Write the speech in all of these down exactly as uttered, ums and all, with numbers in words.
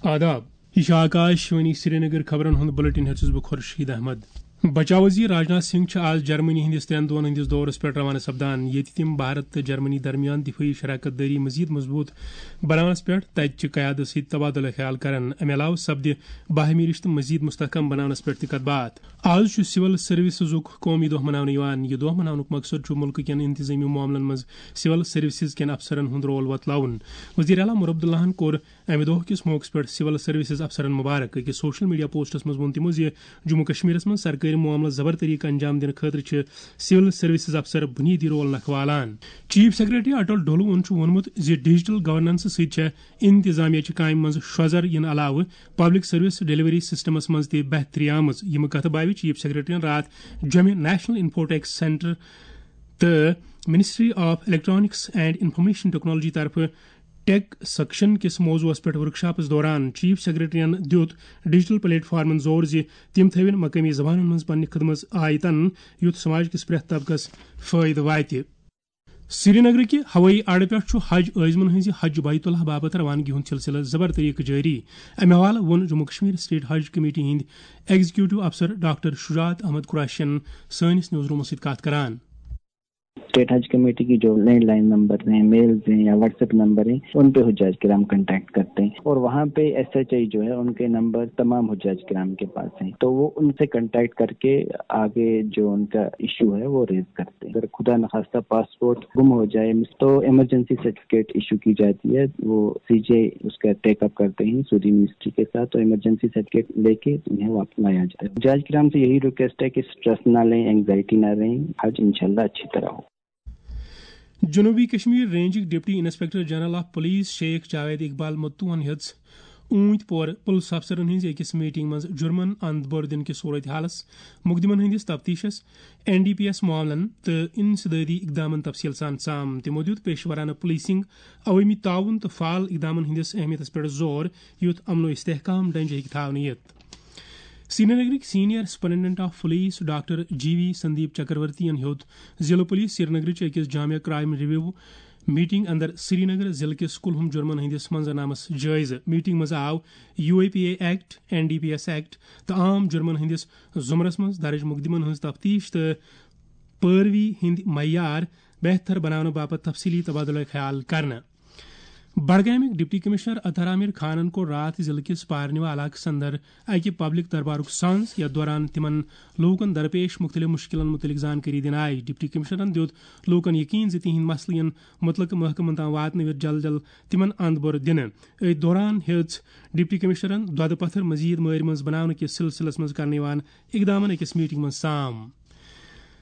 آداب، یہِ چھِ آکاش وانی سرینگر۔ خبرن ہُنٛد بُلٹن ہیوٚت چھُس بہٕ خورشید احمد۔ بچاو وزیر راجناتھ سنگھ چھِ آز جرمنی ہٕنٛدِس ترٛٮ۪ن دۄہن ہٕنٛدِس دورس پٮ۪ٹھ روانہٕ سپدان، ییٚتہِ تِم بھارت تہٕ جرمنی درمیان دفٲعی شراکت دٲری مزید مضبوط بناونس پٮ۪ٹھ تتہِ چہِ قیادت سۭتۍ تبادلہٕ خیال کرن۔ امہِ علاوٕ سپدِ باہمی رشتہٕ مزید مستحکم بناونس پٮ۪ٹھ تہِ کتھ باتھ۔ آز چھُ سول سروسزُک قومی دۄہ مناونہٕ یِوان۔ یہِ دۄہ مناونُک مقصد چھُ مُلکہٕ کٮ۪ن انتظٲمی معاملن منٛز سول سروسز کٮ۪ن افسرن ہُنٛد رول وۄتلاوُن۔ وزیر اعلیٰ عمر عبداللہن کوٚر امہِ دۄہ کِس موقعس پٮ۪ٹھ سول سروسز افسرن مبارک۔ أکِس سوشل میڈیا پوسٹس منٛز ووٚن تِمو زِ جموں کشمیرس منٛز سرکٲری معاملس زبر طریقہٕ انجام دِنہٕ خٲطرٕ چھِ سول سروسز افسر بُنیٲدی رول نکھٕ والان۔ چیف سیکرٹری اٹل ڈولوہن چھُ ووٚنمُت زِ ڈیجیٹل گورننس سۭتۍ چھےٚ انتظامیہ چہِ کامہِ منٛز شۄزر یِنہٕ علاوٕ پبلک سروس ڈیلیوری سسٹمس منٛز تہِ بہتری آمٕژ۔ یِم کتھٕ باوِ چیف سیکرٹریَن راتھ جوٚمہِ نیشنل انفوٹیک سینٹر تہٕ ministry of electronics and information technology طرفہٕ ٹیک سیکشن کِس موضوعس پٮ۪ٹھ ورکشاپس دوران۔ چیف سیکرٹریَن دیُت ڈیجیٹل پلیٹ فارمن زور زِ تِم تھٲوِن مقٲمی زبانن منٛز پننہِ خدمژ آیتن، یُتھ سماج کِس پرٛٮ۪تھ طبقس فٲیدٕ واتہِ۔ سرینگرٕکہِ ہوٲیی اڈٕ پٮ۪ٹھ چھُ حج عٲزمن ہٕنٛزِ حج بیت اللہ باپتھ روانگی ہُنٛد سلسلہٕ زبر طریقہٕ جٲری۔ امہِ حوالہٕ ووٚن جموں کشمیر اسٹیٹ حج کمیٹی ہٕنٛدۍ ایگزیکیوٹو افسر ڈاکٹر شجاعت احمد قریشین سٲنِس نیوز رومس سۭتۍ کتھ کران۔ اسٹیٹ حج کمیٹی کی جو لینڈ لائن نمبر ہیں، میلز ہیں یا واٹس ایپ نمبر ہیں، ان پہ حجاج کرام کانٹیکٹ کرتے ہیں اور وہاں پہ ایس ایچ آئی جو ہے، ان کے نمبر تمام حجاج کرام کے پاس ہیں، تو وہ ان سے کانٹیکٹ کر کے آگے جو ان کا ایشو ہے وہ ریز کرتے ہیں۔ اگر خدا نخواستہ پاسپورٹ گم ہو جائے تو ایمرجنسی سرٹیفکیٹ ایشو کی جاتی ہے، وہ سی جے اس کا ٹیک اپ کرتے ہیں سعودی منسٹری کے ساتھ، تو ایمرجنسی سرٹیفکیٹ لے کے انہیں واپس لایا جائے۔ حجاج کرام سے یہی ریکویسٹ ہے کہ اسٹریس نہ لیں، اینگزائٹی نہ لیں، حج انشاءاللہ اچھی طرح ہو۔ جنوبی کشمیر رینجٕکۍ deputy inspector general of police Sheikh Javed Iqbal متوہن ہیٚژ اوٗنتۍ پورٕ پُلس افسرن ہٕنٛزِ أکِس میٹنگ منٛز جُرمن اند بٔر دِنہٕ کِس صورت حالس، مقدمن ہٕنٛدِس تفتیشس، این ڈی پی ایس معاملن تہٕ انسدادی اقدامن تفصیل سان سام۔ تِمو دیُت پیشورانہٕ پولیسنگ، عوٲمی تعاون تہٕ فعال اقدامن ہٕنٛدِس اہمیتس پٮ۪ٹھ زور، یُتھ امن و استحکام ڈنجہِ ہیٚکہِ تھاونہٕ یِتھ۔ سرینگرٕکۍ senior superintendent of police doctor G V Sandeep Chakravarthy ین ہیوٚت ضلع پولیس سرینگرٕچ أکِس جامع کرائم ریویو میٹنگ اندر سرینگر ضلع کِس کُلہُم جُرمن ہٕنٛدِس منظرنامس جٲیزٕ۔ میٹنگ منٛز آو U A P A act, N D P S act تہٕ عام جُرمن ہٕنٛدِس زُمرس منٛز درٕج مقدمن ہٕنٛز تفتیش تہٕ پٲروی ہٕنٛدۍ معیار بہتر بناونہٕ باپتھ تفصیلی تبادلہٕ خیال کرنہٕ۔ بڈگامٕکۍ ڈپٹی کمشنر اطہر عامر خانن کوٚر راتھ ضلعہٕ کِس پارنیوا علاقس اندر اکہِ پبلک دربارُک سانز، یتھ دوران تِمن لوٗکن درپیش مُختٔلِف مُشکِلن مُتعلِق زانکٲری دِنہٕ آیہِ۔ ڈپٹی کمشنرن دیُت لوٗکن یقین زِ تِہنٛدۍ مسلہٕ یِن مُتلقہٕ محکمن تام واتنہٕ وِزِ جلد جلد تِمن اند بٔر دِنہٕ۔ أتھۍ دوران ہیٚژ ڈپٹی کمشنرن دۄدٕ پتھر مزید مٲرۍ منٛز بناونہٕ کِس سلسلس منٛز کرنہٕ یِوان اقدامن أکِس میٹنگ منٛز سام۔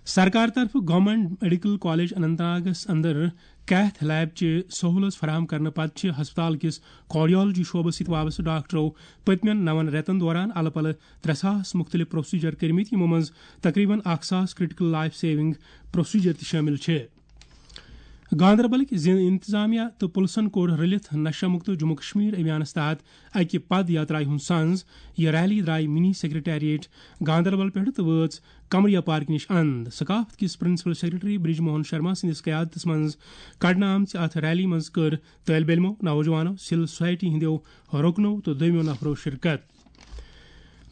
سرکار طرفہٕ گورنمنٹ میڈیکل کالج اننت ناگس اندر کیتھ لیب چہِ سہولژ فراہم کرنہٕ پتہٕ چھِ ہسپتال کِس کارڈیالجی شعبس سۭتۍ وابستہٕ ڈاکٹرو پٔتمٮ۪ن نون رٮ۪تن دوران الہٕ پلہٕ ترٛےٚ ساس مُختٔلِف پروسیجر کٔرمٕتۍ، یِمو منٛز تقریباً اکھ ساس کریٹیکل لائف سیونگ پروسیجر تہِ شٲمِل چھِ۔ گاندربلٕکۍ ضلع انتظامیہ تہٕ پُلسن کوٚر رٔلِتھ نشہ مُکت جموں کشمیر ابھیانس تحت اکہِ پد یاترایہِ ہُنٛد سنز۔ یہِ ریلی درایہِ منی سیکرٹریٹ گاندربل پٮ۪ٹھٕ تہٕ وٲژ قمریا پارکہِ نِش اند۔ ثقافت کِس پرنسپل سیکرٹری برج موہن شرما سٕنٛدِس قیادتس منٛز کڑنہٕ آمژِ اتھ ریلی منٛز کٔر طٲلب علمو، نوجوانو، سول سوسائٹی ہٕنٛدیو رُکنو تہٕ دوٚیمو نفرو شرکت۔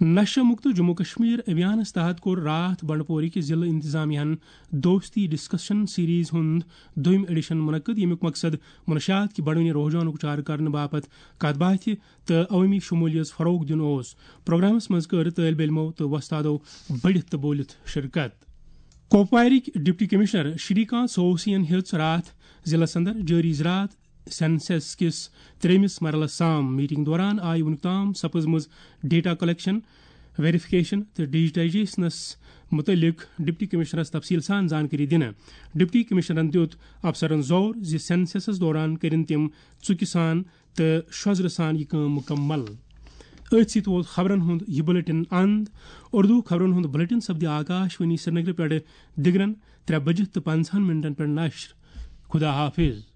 نشہ مُکت جموں کشمیر ابھیانس تحت کوٚر راتھ بنڈپورٕکۍ ضلع انتظامیہ ہن دوستی ڈسکشن سیریز ہُنٛد دوٚیِم ایڈیشن منعقد، ییٚمیُک مقصد منشیات کہِ بڑوٕنہِ رجحانُک چارٕ کرنہٕ باپتھ کتھ باتھِ تہٕ عوٲمی شمولیت فروغ دیُن اوس۔ پروگرامس منٛز کٔر طٲلب علمو تہٕ وۄستادو بٔڑِتھ تہٕ بوٗلِتھ شرکت۔ کۄپوارٕکۍ ڈپٹی کمشنر شری کانت سوسین ہیٚژ راتھ ضلعس اندر جٲری زراعت سینسس کِس ترٛیٚیمِس مرحلس سام۔ میٹنگ دوران آیہِ وُنیُک تام سپٕزمٕژ ڈیٹا کلیکشن، ویریفکیشن تہٕ ڈیجیٹائزیشنس مُتعلق ڈپٹی کمشنرس تفصیل سان زانکٲری دِنہٕ۔ ڈپٹی کمشنرن دیُت افسرن زور زِ سینسسس دوران کٔرِن تِم ژُکہِ سان تہٕ شۄزرٕ سان یہِ کٲم مُکمل۔ أتھۍ سۭتۍ ووت خبرن ہُنٛد یہِ بُلٹن اند۔ اردو خبرن ہُنٛد بُلٹن سپدِ آکاش وانی سرینگرٕ پٮ۪ٹھٕ دِگرن ترٛےٚ بجہِ تہٕ پنٛژاہن منٹن پٮ۪ٹھ نشر۔ خدا حافظ۔